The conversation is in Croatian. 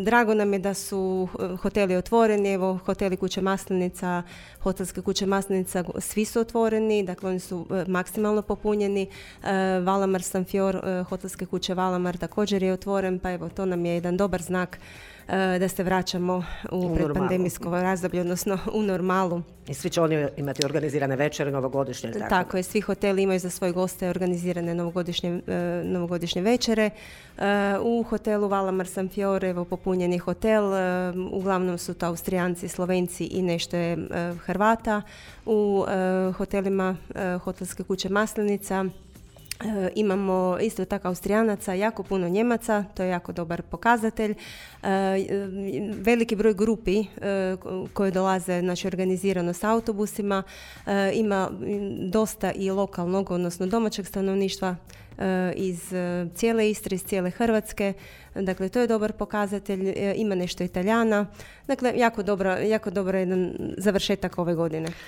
Drago nam je da su hoteli otvoreni, evo hoteli Kuće Maslinica, hotelske Kuće Maslinica, svi su otvoreni, dakle oni su maksimalno popunjeni. Valamar Sanfior, hotelske kuće Valamar također je otvoren, pa evo to nam je jedan dobar znak da se vraćamo u predpandemijsko razdoblje, odnosno u normalu. I svi će oni imati organizirane večere novogodišnje? Tako je, svi hoteli imaju za svoje goste organizirane novogodišnje večere. U hotelu Valamar Sanfior, evo popunjen je hotel, uglavnom su to Austrijanci, Slovenci i nešto je Hrvata. U hotelima hotelske kuće Maslinica imamo isto tako Austrijanaca, jako puno Njemaca, to je jako dobar pokazatelj. Veliki broj grupi koje dolaze, znači organizirano s autobusima, ima dosta i lokalnog, odnosno domaćeg stanovništva iz cijele Istre, iz cijele Hrvatske. Dakle, to je dobar pokazatelj, ima nešto Italijana. Dakle, jako dobro jedan završetak ove godine.